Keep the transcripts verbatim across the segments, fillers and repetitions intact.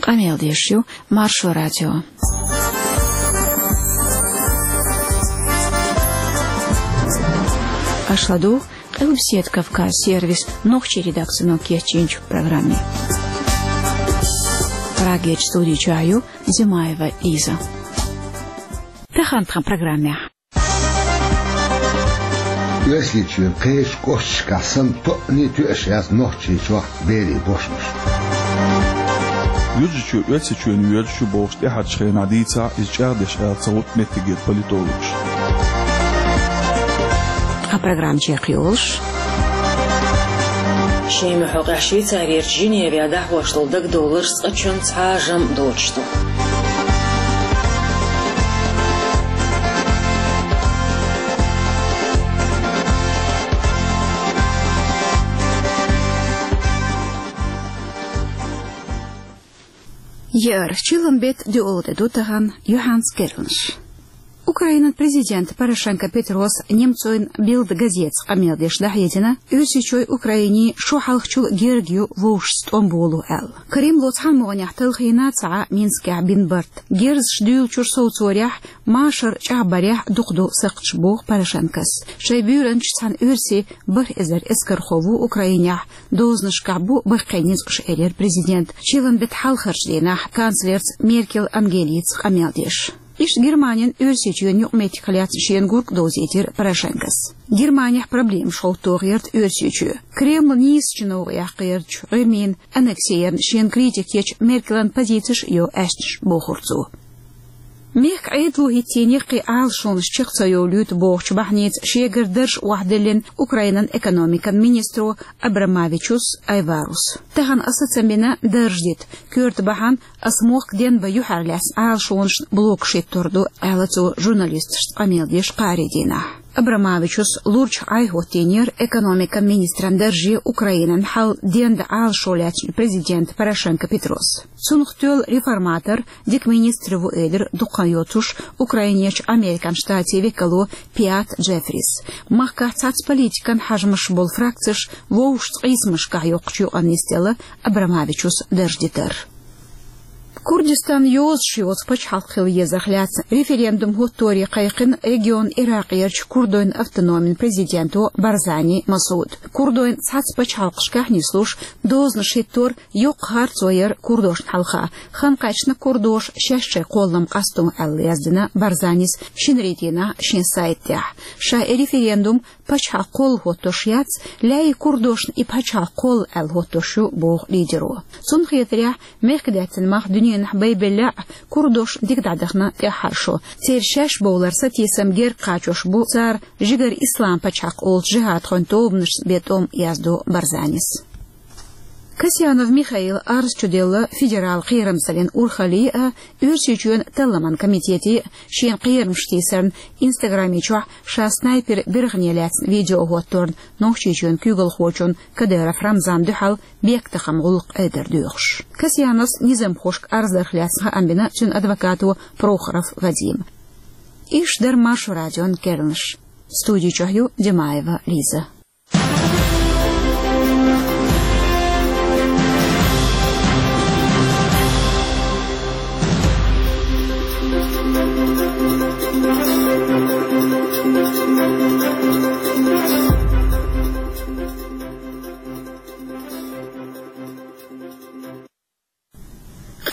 Къамел деш ю Маршо радио. Аша ладугӀу Къилбаседа Кавказ сервисан нохчийн редакцино кечйинчу программе. Прагерчу студи чохь ю Зимаева Лиза. Тахана тхан программехь. Оьрсийчоьнан кхечу кӀошташкахь санна тоъане тоьаш яц Нохчийчохь берийн бошмаш. Юьржичо Оьрсийчоьнна воьжуш ю бохуш тӀаьхьарчу хенахь дийцахь, иза чӀагӀдеш аьлла ца гӀутту меттигера политологаш. Тхан программа чекхйолуш. Шемахь хьокъехь Швейцарерчу Женевехь дӀахьош долу дагадовларш цкъачунна цхьа а жамӀ доцуш ду. Еара, чиллан беттан доьалгӀа де ду тахана, юьхьанца керланаш. Украинан президента Порошенко Петрос немцойн Билд газетаца къамел деш дӀахьедина, Оьрсийчоьнан Украинин шо хьалхачул герга ю вовшашца тӀом боло аьлла. Кремло цхьана могӀанехь талхийна ца Ӏа Минскехь бина барт. Герзаш дуьйлучуьра совцорехь, машар чӀагӀбарехь дукха ду сакхташ, боху Порошенкос. Шайн буьйранчаш цхьана оьрсийн бархӀ эзар эскархо ву Украинехь, дозанашкахь бу баккхий ницкъаш, элира президента, чиллан беттан хьалхарчу дийнахь канцлерца Меркель Ангелица къамел деш. Иштта Германин Оьрсийчоьнна юкъаметтигах лаьцна шена гург а довзийтира Порошенкос. Германехь проблемаш хӀоттор гӀерта Оьрсийчоь. Кремлан нийсачу новкъа яккхарчу гӀирмийн аннексерна шена критика ечу Меркелан позицеш а йо аьшнаш, бохура цо. Мехкан Ӏедало хӀиттийна кхин Ӏалашонаш чекх ца йовлуьйту бохучу бахьаница шегара дарж охьадиллина Украинан экономикан министро Абрамавичус Айварус. Тахана аса ца бина дарж дита, коьрта бахьана ас мохк денбан юьхьарлаьцна Ӏалашонашна блокаш хӀиттор ду, аьлла цо журналисташца къамел деш кхаарин дийнахь. Абрамавичус лурчахь Ӏайхьоттийнера экономикан министран дарже Украинан хьал дендан Ӏалашо лаьцначу президента Порошенко Петрос. Цунах тоьлла реформатор, дика министр ву, элира дукха хан йоцуш Украинерчу Американ Штатийн векало Пиат Джеффрис. Махкахь цхьацца политикан хьажамаш болу фракцеш вовшашца къийсамашкахь йоккхучу юкъанна нисделла Абрамавичус дарж дитар. Курдистан йозуш йоцу пачхьалкх хила езарх лаьцна референдум хӀотторе кхайкхина регионан Иракъерчу курдойн автономин президенто Барзани Масуда. Курдойн цхьацца пачхьалкхашкахь нислуш, дозанаш хӀиттор йоккха харцо яра курдошна хьалха. Хан кхаьчна курдоша шаьш шайн кхоллам къасто аьлла, яздина Барзанис шинарин дийнахь шен сайта тӀехь. Ша и референдум пачхьалкх кхолла хӀоттош яц, лаьий курдошна и пачхьалкх кхолла аьлла хӀоттош ю, боху лидеро. Цунна хетарехь, мехкдаьттан мах дуьненахь байбелла а, курдош дика дӀадахана тӀаьххьара шо. Церан шаьш бовлар сатийсам герга кхачош бу цара жигара ислам пачхьалкх олучу жихӀадхойн тобанашца бен тӀом, яздо Барзанис. Касьянов Михаила арз чуделла федералан кхерамзаллин урхалле а, Оьрсийчоьнан талламан комитете а шена кхерамаш тийсарна Инстаграме чохь ша снайпер биргӀане лаьцна видео хӀотторна Нохчийчоьнан куьйгалхочунна Кадыров Рамзанна дуьхьал бехктакхаман гӀуллакх айдар доьхуш. Касьяновс низамхошка арз дарх лаьцна хаам бина цуьнан адвокато Прохоров Вадима. Уьш дара Маршо радион керланаш. Студи чохь ю Димаева Лиза.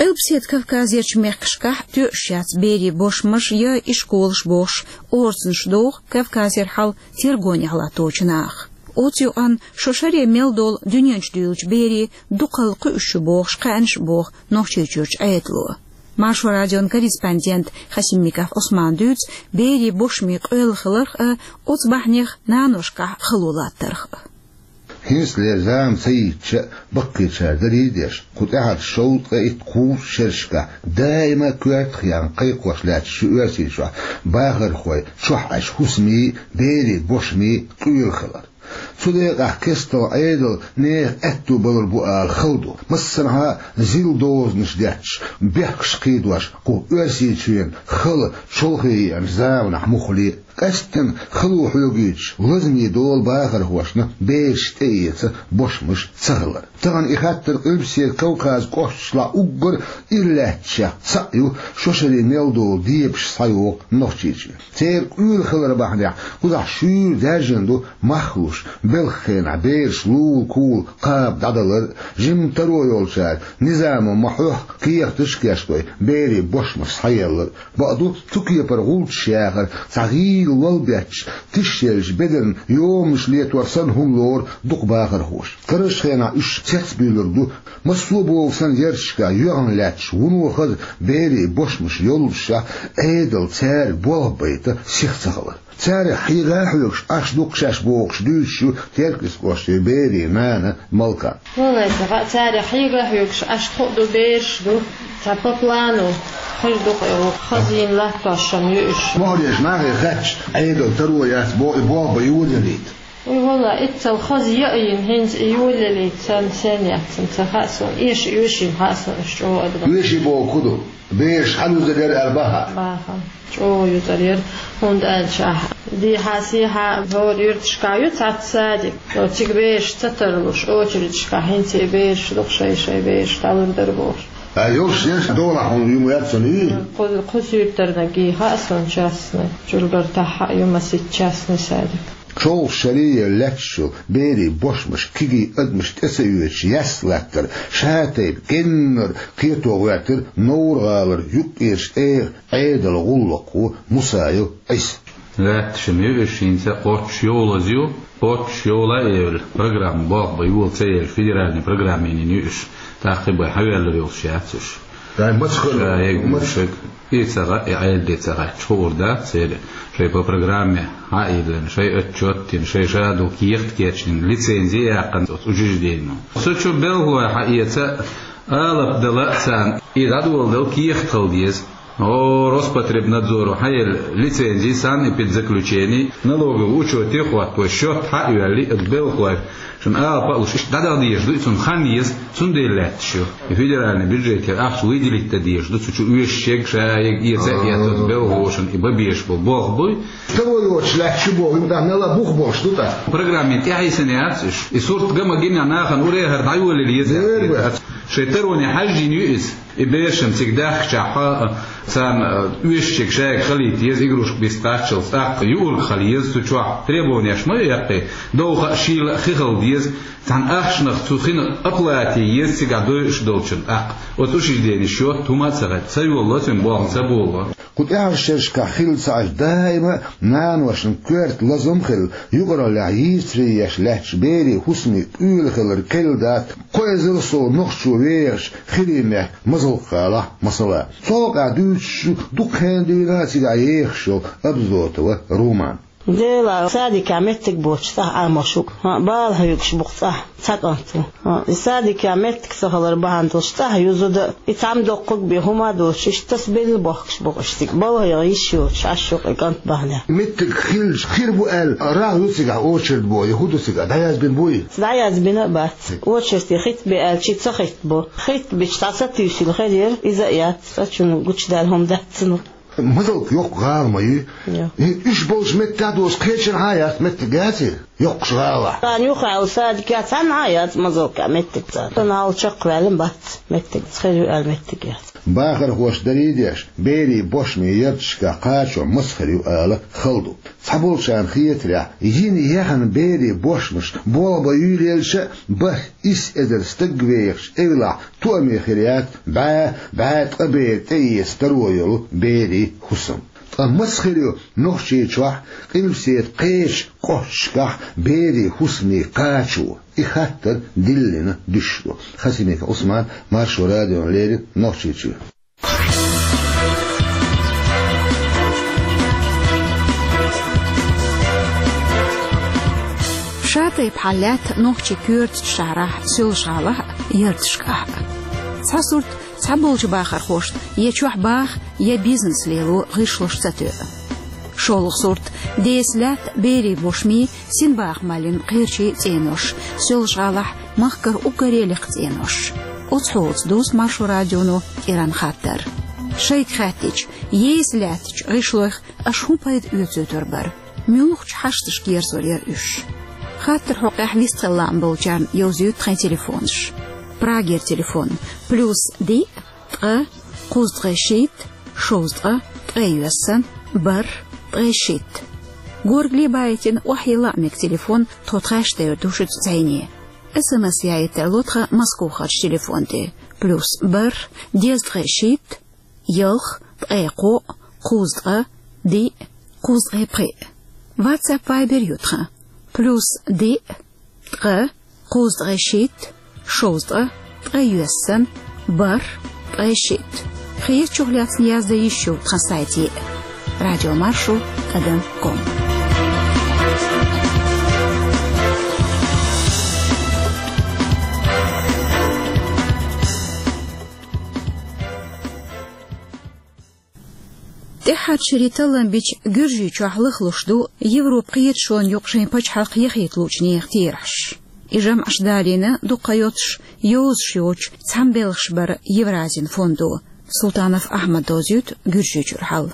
Къилбаседа Кавказерчу мехкашкахь тоьуш яц берийн бошмаш я ишколаш бохуш, орцанаш доху Кавказера хьал тергонехь латточу наха. Оцу юкъанна шо шаре мел долу дуьнен чу дуьйлучу берийн дукхалла кхуьуш ю бохуш кхаьънаш а боху Нохчийчуьрчу Ӏедало. Маршо радион корреспондент Хасимиков Ӏусмана дуьйцу берийн бошмийн къоьлла хиларх а, оцу бахьанех наношкахь хало латтарх а. ХӀинцалера зама ца йитча а, баккхийчара дарий а деш, кху тӀаьхьарчу шовзткъе итт-кхузткъа шерашкахь даима коьртах яьлла кхайкхош лаьтташ ю Оьрсийчохь бахархой чохь Ӏаш хӀусамийн, берийн бошмийн къоьлла хилар. Цу декъахь кестта Ӏедал нехан аьтто балур бу ала хала ду. Массанхьа зил дозанаш детташ, бехкаш кхийдош, кху Оьрсийчоьнан хала чолхе еанчу заманахь муххале а. Къаьсттина хало хьоьгуьйтуш, лазаме долу бахархошна бераш тӀеэца бошмаш ца хилар. Тахана и хаттар Къилбаседа Кавказан кӀошташкахь уггар иралаьтташех цхьаъ ю, шо шаре мел долу дебаш схьайогӀу Нохчийчоь. Церан къуьйлахилар бахьанехь кхузахь шуьйра даьржина ду мах луш, белхан хенахь бераш лула-кула кхаба дӀадалар а, жимма таро йолчара низамо ма-хьоьхху кехаташ а кечдой, берийн бошмаш схьаеллар а. Бакъду, цу кепара гӀулчаш яхар, цхьа гӀийла лол бетташ, тишъеллачу бедарна йоманаш летор санна хӀума лору дукха бахархоша. Карарчу хенахь уьш цецбуьйлур ду, массо а боху санна ярташкахь йоьгӀна лаьтташ, вуно хаза берийн бошмаш йоллушехь, Ӏедал цаьрга болх байта сиха ца хилар. Царех хьега а хьоьгуш Ӏаш ду-кх шаьш бохуш дуьйцуш ю Теркйистан кӀоштан берийн нана Малка. Валлай, ца хаьа, царех хьега а хьоьгуш Ӏаш хуур ду, бераш ду. Цхьа по плану хир ду-кх и, хазийна латтош ю уьш. МогӀарерчу нахе хаьттича, Ӏедал таро яц боху, и болх бан йолаялийта. Уй, валлай, иццал хаза яйина, хӀинца и йолаялийта санна, сен яц, ца хаьа суна. Эша оьшийна хаьа суна уьш чӀогӀа адамаш. Оьший бохург хӀун ду? Бераш хьалузур яра аьлла баха? Баха. ЧӀогӀа юзур яра, хӀунда аьлча ахь дехьа-сехьа хӀора юьрташкахь ю цхьацца садик. Цига бераш ца тарлуш, очередашкахь хӀинца и бераш ду-кх, шай-шай бераш дӀалур дара бохуш. Ткъа йолуш еш долахь хьуна юма яц цунна и? Кху-, кху суьртарниг хаьа суна частный, чуьлгар таххьа а ю масийтта частный садик. ЧӀогӀа шаре лаьтташ йолу берийн бошмаш кегий адамашна тӀе ца оьцуш яьсса латтар, шатайпа геннара кхето гӀоьртира Невран гӀалара юккъерчу тӀегӀан Ӏедалан гӀуллакхо Мусаев Ӏийса. Лаьтташ ма ю уьш, хӀинца кхоччуш йолаза ю, кхоччуш йола а евлла, программа болх бан йола ца елла, федеральный программин ю уьш. ТӀаккха бен хьавелла йолуш яц уьш. Дай маца хир? Ша егна маца? Шег. И ца гӀа, и Ӏедале ца гӀаьттича хуур дац церан. Шайн по программе хьа а йиллина, шайн отчет а дина, шайн ша долу кехат а кечдина, лицензи а яьккхина оцу учрежденино. Со чу белхалой хьаэца, алапа дала а царна, и дӀадоладала кехат хила деза. О, Роспотребнадзоро хьаелла лицензи, санэпидзаключени, налоговый учёте а хӀотто, счёт хьа а йоьллий, оцу белхалой Шуна алапа а луш, иштта дӀадаха дезаш ду, и цунна хан еза, цундела лаьтташ ю. И федеральный бюджетера ахча выделить дан дезаш ду, цу чу оьшуш ерг, ша ерг эца а эцо, белхалошна и бан безаш болу болх буй. Таро йоцуш лаьтташ ю боху, юкъа мел а бух болуш ду тӀаккха. Программе тӀехьийсина яц уьш. И сурт ган ма гина, нахана уре а хӀара дӀайолийла еза. Дера бу. Шайн тароне хьаьжжина ю иза. И берашна цига даьхкичахь, царна оьшучуьнга шайга хилийта еза, игрушка биста кхаччалц, тӀаккха юург хила еза цу чохь, требованеш ма ю яккхий, довха а, шийла а хи хила деза, цхьана ахчанах цу хинах оплата е еза цигахь дойуш долчун тӀаккха. Оцу учрежденин счёт хӀума а ца гӀаьттина, ца йолало цуьнан болх, ца болало. Кху тӀаьхьарчу шерашкахь хилла ца Ӏаш, даима наношна коьрта лазам а хилла, юкъараллехь йийцаре еш лаьтташ берийн хӀусамийн къуьйлахилар кхелла дац, кхо эзар сов нохчо вехаш, хиримехь Мазалкха-ГӀалахь, масала. Цу хьокъехь дуьйцуш ю дукха хенахь дуьйна а цигахь ехаш йолу Абзотова Руман. Дела, садикехь меттиг боцуш цӀахь Ӏамош ву-кх. ХӀаъ, бала хьоьгуш бу-кх цӀахь, цхьа кӀант ву. ХӀаъ, и садикехь меттиг ца хилар бахьана долуш цӀахь ю зуда, и цхьамма доккхург бен хӀума а доцуш, иштта тасабелла бохкуш бу-кх уьш цига. Балха йогӀу йиш йоцуш Ӏаш ю-кх и кӀант бахьанехь. Меттиг хилча хир бу аьлла, рагӀ ю цигахь очередь бо, я хӀун ду цигахь, дӀаязбина буй? ДӀаязбина а бац. Очередь хитабе аьлча, ца хитабо. Хитабича дӀа ца туьйсийла хир яра, иза а яц, цкъачунна гучудаьлла хӀума дац цунах. Мазалкха йоккха гӀала ма ю? Йо. И уьш болчу меттехь доцу кхечанхьа а яц меттиг, яций? Йоккхачу гӀалахь. Царна юххехь йолу садикехь цхьанхьа а яц Мазалкхехь меттиг царна. Сан хьал чекхваьлла бац меттиг, хир ю аьлла меттиг яц. Бахархоша дарий деш, берийн бошмийн ярташкахь кхачо маса хир ю ала хала ду. Цхьаболчарна хетарехь, йина яхана берийн бошмаш болх бан юьйлаелча а, бархӀ-исс эзар стаг вехаш эвлахь, тоаме хир яц бӀе, бӀе ткъа бер тӀеэца таро йолу берийн хӀусам. Ткъа маса хир ю Нохчийчохь, Къилбаседа кхечу кӀошташкахь берийн хӀусамийн кхачо? И хаттар диллина дуьсуш ду. Хасимиков Ӏусман, Маршо радиона леррина, Нохчийчоь. Ша тайпа хьал лаьтта нохчийн коьртачу шахьарахь, Соьлжа-ГӀалахь а, ярташкахь а. Цхьа сурт, цхьаболчу бахархошна я чохь баха, я бизнес лело гӀишлуш ца тоьа. ШолгӀа сурт, деса лаьтта берийн бошмийн, синбаха маллин кхерчийн цӀенош, Соьлжа-ГӀалахь, махкара уггаре лекха цӀенош. Оцу хьолаца дувц Маршо радионо кӀиранан хаттар. Шайга хаьттича, еза лаьттачу гӀишлойх аша хӀун пайда оьцуьйтур бара? Муьлхачу хьашташка герзор яра уьш? Хаттар хьокъехь вистхила лаам болчарна йовзуьйту тхайн телефонаш. Прагера телефон: плюс диъ, ткъа, кхузткъе шийтта, шовзткъа, ткъе йоьссана, бархӀ, ткъе шийтта. Горгали байтина охьайилла а мега телефон, тхо тхаьш девр ду шуьца зӀене. СМС яийта тарло тхан Москвахарчу телефон тӀе: плюс бархӀ, дезткъе шийтта, ялх, ткъе кхоъ, кхузткъа, диъ, кхузткъе пхиъ. WhatsApp, Viber ю тхан: плюс диъ, ткъа, кхузткъе шийтта, шовзткъа, ткъе йоьссана, бархӀ, ткъе шийтта. Хетачух лаьцна яздан йиш ю тхан сайте: радиомаршо тӀадам ком. ТӀаьххьарчу шерийн таллам бича Гуьржийчохь лахлуш ду Европан кхеташонна юкъа шайн пачхьалкх яхийта луучу нехан терахьаш. И жамӀаш далийна дуккха йоцуш, йозуш йоцуш цхьаьна белхаш бара Евразин фондо. Султанов Ахьмада довзуьйту Гуьржийчуьра хьал.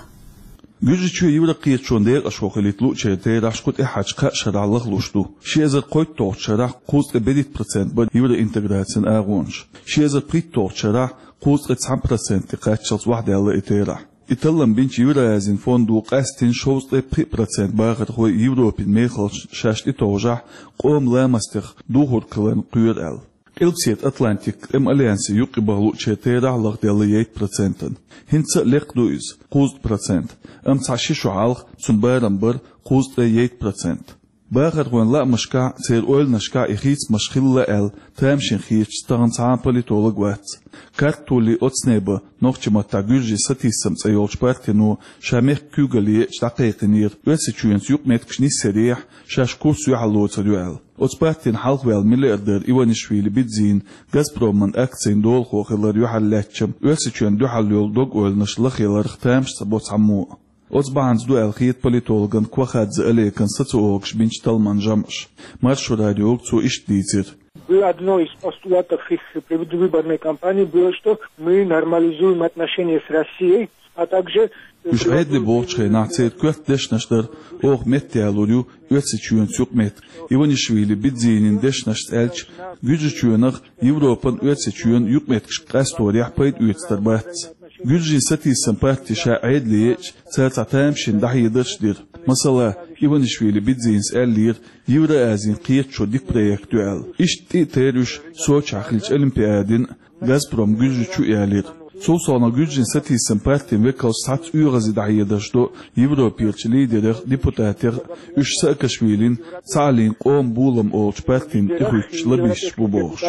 Гуьржийчоь Европан кхеташонан декъашхо хилийта луучеран терахьаш кху тӀаьххьарчу кхаа шарахь лахлуш ду. Ши эзар кхойтталгӀачу шарахь кхузткъе берхӀитта процент бара евроинтеграцин агӀонаш. Ши эзар пхийтталгӀачу шарахь кхузткъе цхьана проценте кхаччалц охьадаьлла и терахь. И таллам бинчу Евразин фондо къаьстина шовзткъе пхиъ процент бахархой Европин мехаллашна шаьш тӀетовжахь, къоман ламастех духург хиларна кхоьру аьлла. Къилбаседа Атлантикан тӀеман альянсе юкъе баха луучеран терахь лахделла ейтта процентана. ХӀинца а лекха ду иза, кхузткъа процент, амма цхьа ши шо хьалха цуьнан барам бара кхузткъе ейтта процент. Бахархойн лаамашкахь а, церан ойланашкахь а и хийцамаш хилла аьлла тамашийна хеташ тахана цхьа а политолог вац. Картоли оцнеба, нохчийн маттахь Гуьржийн сатийсам цӀе йолчу партино ша мехкан куьйгалле еча дӀакхайкхинера, Оьрсийчоьнца юкъаметтигаш нисъярехь, шаьш курс юьхьарлоцур ю аьлла. Оцу партина хьалхаваьлла миллиардер Иванишвили Бидзина «Газпроман» акцийн долахо хилар юьхьарлаьцча, Оьрсийчоьнна дуьхьал йолу дог-ойланаш лахъяларх тамаш ца бо цхьаммо а. Оцу бахьанца ду аьлла хета политологна Квахадзе Олекана социологаша бинчу талламан жамӀаш. Маршо радиога цо иштта дийцира. Было одно из постулатов их предвыборной кампании было, что мы нормализуем отношения с Россией, а также... Уьш Ӏедале бохучу хенахь церан коьрта дешнаш дара: «Оха меттаялур ю Оьрсийчоьнца юкъаметтиг». Иванишвили Бидзинин дешнашца аьлча, Гуьржийчоьнах Европан, Оьрсийчоьнан юкъаметтигаш къасторехь пайда оьцур бац. Гуьржийн сатийсам парти ша Ӏедале еъча, цара цхьа тамашийна дӀахьедарш а дира. Масала, Иванишвили Бидзинас аьллера, Евразин кхеташо дика проект ю аьлла. Иштта тӀе а тера уьш Сочехь хиллачу Олимпиадин «Газпром Гуьржийчу» ялийра. Цул совнаха Гуьржийн сатийсам партин векалш цхьацца оьгӀазе дӀахьедарш до Европерчу лидерех а, депутатех а, уьш Саакашвилин «Цхьааллин къоман болам» олучу партина тӀехуьттуш лоббисташ бу бохуш.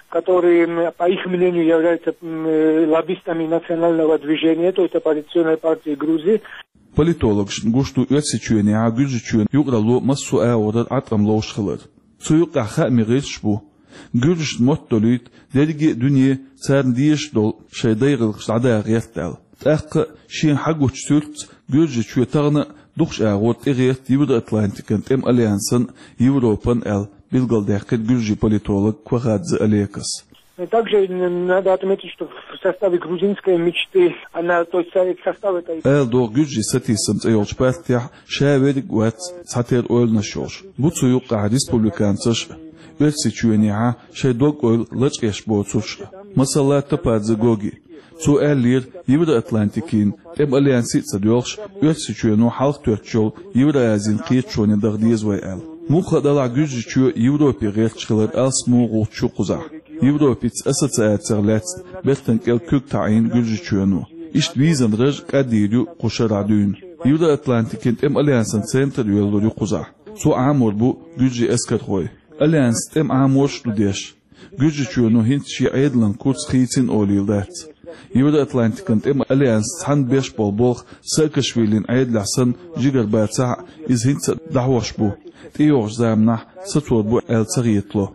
Которые, м, по их мнению, являются, м, э, лоббистами национального движения, то есть оппозиционной партии Грузии. Политологашна гуш ду Оьрсийчоьнехьа Гуьржийчоьнан юкъаралло массо а агӀорара Ӏаткъам ловш хилар. Цу юкъахь хаамийн гӀирсаш бу. Гуьржашна мотт долуьйту дерриге а дуьне царна дезаш долу шайн дай гӀиллакхаш дӀадаха гӀерта аьлла. ТӀаккха а шена хьагучу суьртаца Гуьржийчоь тахана а дукхачу агӀор тӀегӀерта Евроатлантикан тӀеман альянсан а, Европан а аьлла, билгалдаьккхира гуьржийн политолог Квахадзе Олекас. Также н-, надо отметить, что в составе грузинской мечты, она, то есть в состав этой... Ала догӀу, Гуьржийн сатийсам цӀе йолчу партехь ша верриг а вац цхьатерра ойланаш йолуш. Бу цу юкъахь республиканцаш а, Оьрсийчоьнехьа шайн дог-ойла лачкъеш боцурш а. Масала, Топадзе Гоги. Цо аьллера, Евроатлантикин тӀеман альянсе а ца доьлхуш, Оьрсийчоьно хьалха тоьттуш йолу Евразин кхеташоне даха деза вай аьлла. Муха а делахь, Гуьржийчоь Европе гӀерташ хилар алсамо гӀулч ю кхузахь. Европица ассоциацех лаьцна бертан кӀел куьг таӀийна Гуьржийчоьно. Иштта визан раж а кӀаддийр ю кху шарахь дуьйна. Евроатлантикин тӀеман альянсан центр йоьллур ю кхузахь. Цо Ӏамор бу гуьржийн эскархой. Альянс тӀеман Ӏаморш а ду деш. Гуьржийчоьно хӀинца шен Ӏедалан курс хийцина олийла дац. Евроатлантикан тӀеман альянс цхьаьна беш болу болх Саакашвилин Ӏедалехь санна жигара бацахь а, иза хӀинца а дӀахьош бу. ТӀейогӀучу заманахь сацор бу аьлла ца хетало.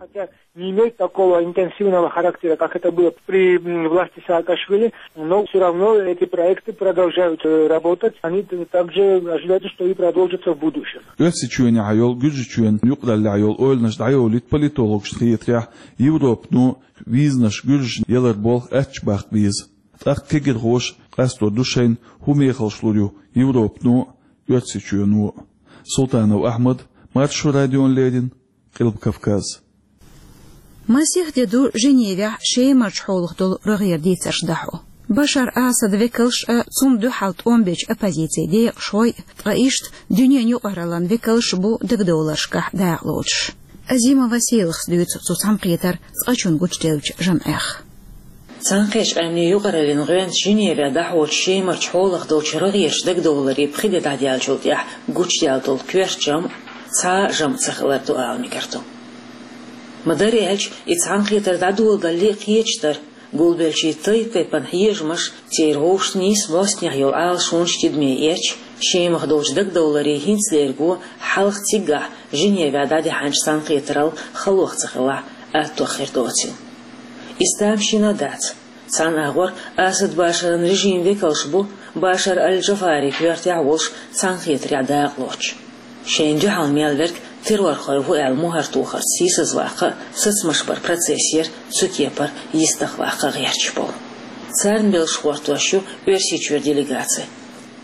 Не имеет такого интенсивного характера, как это было при, м, власти Саакашвили, но всё равно эти проекты продолжают, э, работать. Они т-, также ожидаются, что и продолжатся в будущем. Оьрсийчоьнехьа йолу, Гуьржийчоьнан юкъараллехь йолу ойланаш дӀайолуьйту политологашна хетарехь, Европано визанаш гуьржашна ялар болх аьттачу баккха беза. ТӀаккха кегирхоша къастор ду шайна, хӀун мехаллаш лур ю Европано а, Оьрсийчоьно а. Султанов Ахьмад, Маршо радиона леррина, Къилба Кавказ. Масех де ду Женевехь Шемарчу хьолах долу рогӀера дийцарш дӀахьо. Башар Асада векалш а, цунна дуьхьал тӀом бечу оппозицин декъашхой а, ткъа иштта дуьненан юкъараллин векалш а бу дагадовларшкахь дакъалоцуш. Азимова Сийлахас дуьйцу цу цхьаьнакхетаран цкъачунна гучуделлачу жамӀех. Цхьаьнакхеттачу Къаьмнийн юкъараллин гӀоьнца Женевехь дӀахьочу Шемарчу хьолах долчу рогӀерачу дагадовларийн пхи де дӀадаьллачул тӀаьхьа гучудаьлла долу коьрта жамӀ цхьа а жамӀ ца хилар ду ала мегар ду. Ма-дарра аьлча, и цхьаьнакхетар дӀадоладалале кхеташ дара, гулбеллачийн тайп-тайпана хьежамаш, церан вовшашца нийса бӀостанехьа йолу Ӏалашонаш тидаме эцча, Шемах долчу дагадовларийн хӀинцалерго хьалха циггахь Женевехь дӀадаьхьначу цхьаьнакхетарал халох ца хилахь, аттох хир доцийла. Иза тамашийна дац. Цхьана агӀор Асад Башаран режиман векалш бу Башар аль-Джафарин коьртехь а волуш цхьаьнакхетарехь дакъалоцуш. Шайна дуьхьал мел верг террорхой ву аьлла мухӀар тохарца сийсазваккха а, сацамаш баран процесс яра цу кепара йистехваккха гӀерташ болу. Царна белшаш гӀортош ю Оьрсийчуьра делегаци.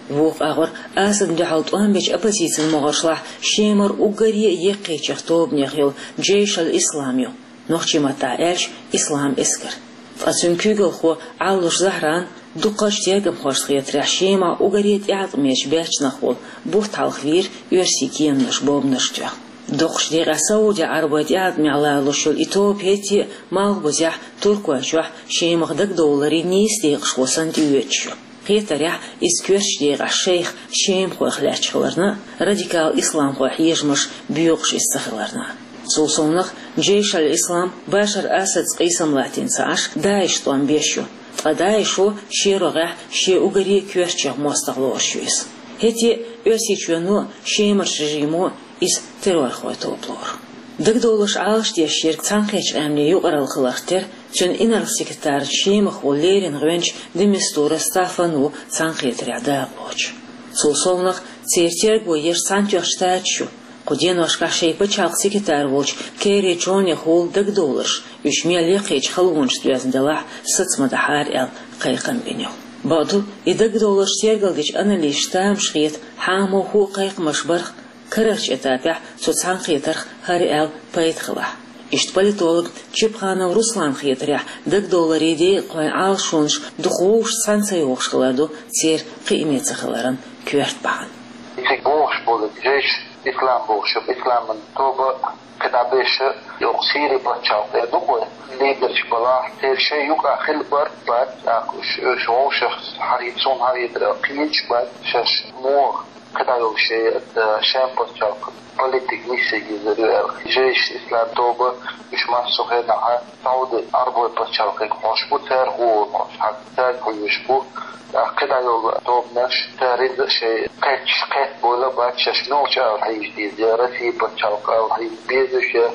Вукху агӀор Асадна дуьхьал тӀом бечу оппозицин могӀаршлахь Шемара уггаре а еккхийчех тобанех йолу Джейш аль-Ислам ю, нохчийн маттахь аьлча, Ислам эскар. Ткъа цуьнан куьйгалхо Ӏаллуш Захьран дукхачу тергамхошна хетарехь, Шемахь уггаре а тӀеӀаткъамечу баьччанах волу бутт хьалха вийра оьрсийн кеманаш бомбанаш тоьхна. Доккхачу декъехь Саудехь Ӏарбой тӀеӀаткъамехь лоруш йолу и тоба хӀетте а Малхбузехь, Туркойчохь Шемах дагадовларийн нийса декъашхо санна тӀеоьцуш ю. Кхетарехь, иза коьртачу декъехь шайх шемахойх лаьтташ хиларна а, радикал исламхойн хьежамаш боькъуш иза ца хиларна а. Цул совнаха, Джейш аль-Ислам Башар Асадца къийсам латтийна ца Ӏаш, ДАИШ тӀом беш ю, ткъа ДАИШо шен рогӀехь шен уггаре а коьртачех мостагӀа лоруш ю иза. ХӀетте а Оьрсийчоьно а, Шемарчу режимо а иза террорхойн тоба лору. Дагадовларш Ӏалашдеш ерг Цхьаьнакхеттачу Къаьмнийн юкъаралла хиларх тера, цуьнан инарла-секретарца Шемахь волу леррина гӀоьнча де Мистура Стаффан ву цхьаьнакхетарехь дакъалоцуш. Цул совнаха, церан терго еш Цхьаьнатоьхначу Штаташ ю, кху деношкахь шайн пачхьалкхан секретарь волчу Керри Джонехула дагадовларш, уьш мел яккхийчу халонашца доьзна делахь а, саца ма дахьара аьлла, кхайкхам бина ю. Бакъду, и дагадовларш тергалдечу аналисташна тамашийна хета, хьан муха а кхайкхамаш барх, карарчу этапехь цу цхьаьнакхетарх хӀара аьлла пайда хилахь. Иштта политолог Чепханов Русланна хетарехь, дагадовларийн декъахойн Ӏалашонаш дукха вовшашца цхьаьна ца йохуш хилар ду церан кхиаме ца хиларан коьрта бахьана. Цига бохуш болу Джейш Ислам бохуш, Исламан тоба кхидӀа беша, йоккха Сири пачхьалкх тӀе ду-кх вай, лидерш балахь, церан шайн юкъахь хила бара бац, тӀаккха уьш, уьш вовшах хьахийта, суна хьахийта, кхийташ бац, шаьш муха кхидӀа йолу шайн, э, шен пачхьалкхан политика нисъян йизар ю аьлла. Джейш Ислам тоба уьш массо а хенахь Сауди Ӏарбойн пачхьалкхе хьош бу, цара хӀора хьош, хьан цаьрга хьоьжуш бу. ТӀаккха кхидӀа йолу тобанаш, цара иза шайн кхетча кхетабойла бац, шаьш муьлхачу ала хьийза деза, я Россин пачхьалкх ала хьийза беза уьш, я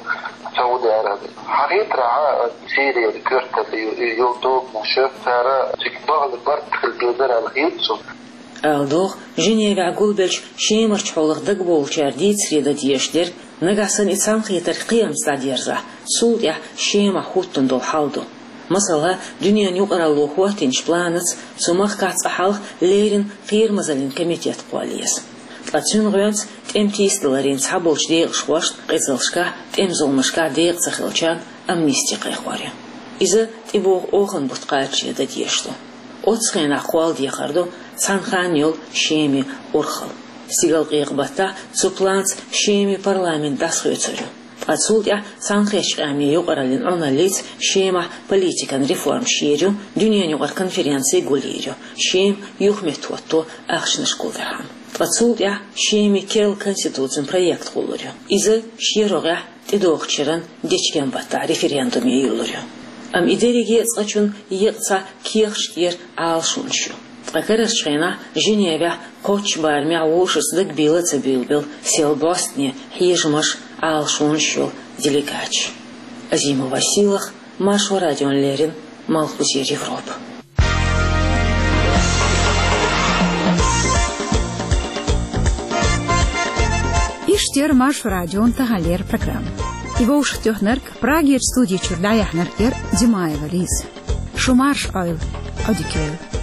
Сауди Ӏараби. Хьахийтарехь, Сирияра коьрталла ю-, йолу тобанаш, цара цига бахьана барт хила безар аьлла хета суна. Ала догӀу, Женевехь гулбеллачу Шемарчу хьолах дагабовлучара дийцаре дан дезаш дерг, нагахь санна и цхьаьнакхетар кхиамца дӀадерзахь, цул тӀаьхьа Шемахь хӀуттун долу хьал ду. Масала, дуьненан юкъаралло хӀоттийначу планаца цу махкахь цкъа хьалха леррина кхерамазаллин комитет кхолла еза. Ткъа цуьнан гӀоьнца тӀеман тийсадаларийн цхьаболчу декъашхошна, къизаллашкахь, тӀеман зуламашкахь декъа ца хиллачарна амнисти кхайкхор ю. Иза тӀебогӀу оханан бутт кхачаре дан дезаш ду. Оццу хенахь кхолладехар ду цхьана ханна йолу Шеман урхалла. Стигалкъекъа баттахь цу планца Шеман парламент дӀасахоьцур ю. Ткъа цул тӀаьхьа Цхьаьнакхеттачу Къаьмнийн юкъараллин Ӏуналлица Шемахь политикан реформаш йийр ю, дуьненан юкъара конференци гулйийр ю, Шема юхаметтахӀотто ахчанаш гулдархьама. Ткъа цул тӀаьхьа Шеман керла конституцин проект гӀуллур ю. Иза шен рогӀехь тӀедогӀучу шеран дечкен баттахь референдуме йиллур ю. Амма и дерриге а цкъачунна еккъа цхьа кехаташ тӀера Ӏалашонаш ю. Ткъа карарчу хенахь Женевехь кхоччуш барамехь вовшашца дагабийлла а ца буьйлабелла сел бӀостанехьа хьежамаш, Ӏалашонаш йолу делегаташ. Азимова Сийлаха, Маршо радиона леррина, Малхбузера Европа. Иштта яра Маршо радион таханлера программа. И вовшахтоьхнарг, Прагерчу студи чуьра дӀаяьхьнарг яра Димаева Лиза. Шу марша Ӏойла. Audicare.